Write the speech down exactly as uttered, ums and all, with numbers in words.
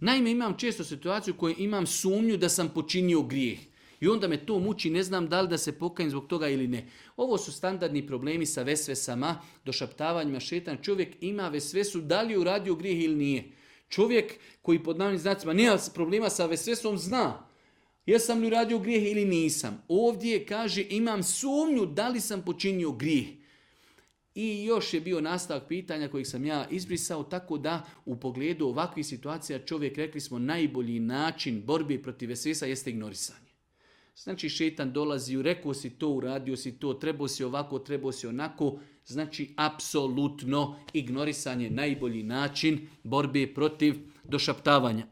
Naime, imam često situaciju u kojoj imam sumnju da sam počinio grijeh. I onda me to muči, ne znam da li da se pokajem zbog toga ili ne. Ovo su standardni problemi sa vesvesama, došaptavanjima šetan. Čovjek ima vesvesu da li je uradio grijeh ili nije. Čovjek koji pod navodnim znacima nema problema sa vesvesom zna. Jesam li uradio grijeh ili nisam. Ovdje kaže imam sumnju da li sam počinio grijeh. I još je bio nastavak pitanja kojeg sam ja izbrisao, tako da u pogledu ovakvih situacija čovjek, rekli smo, najbolji način borbe protiv vesvesa jeste ignorisanje. Znači šetan dolazi, rekao si to, uradio si to, trebao si ovako, trebao si onako. Znači apsolutno ignorisanje najbolji način borbe protiv došaptavanja.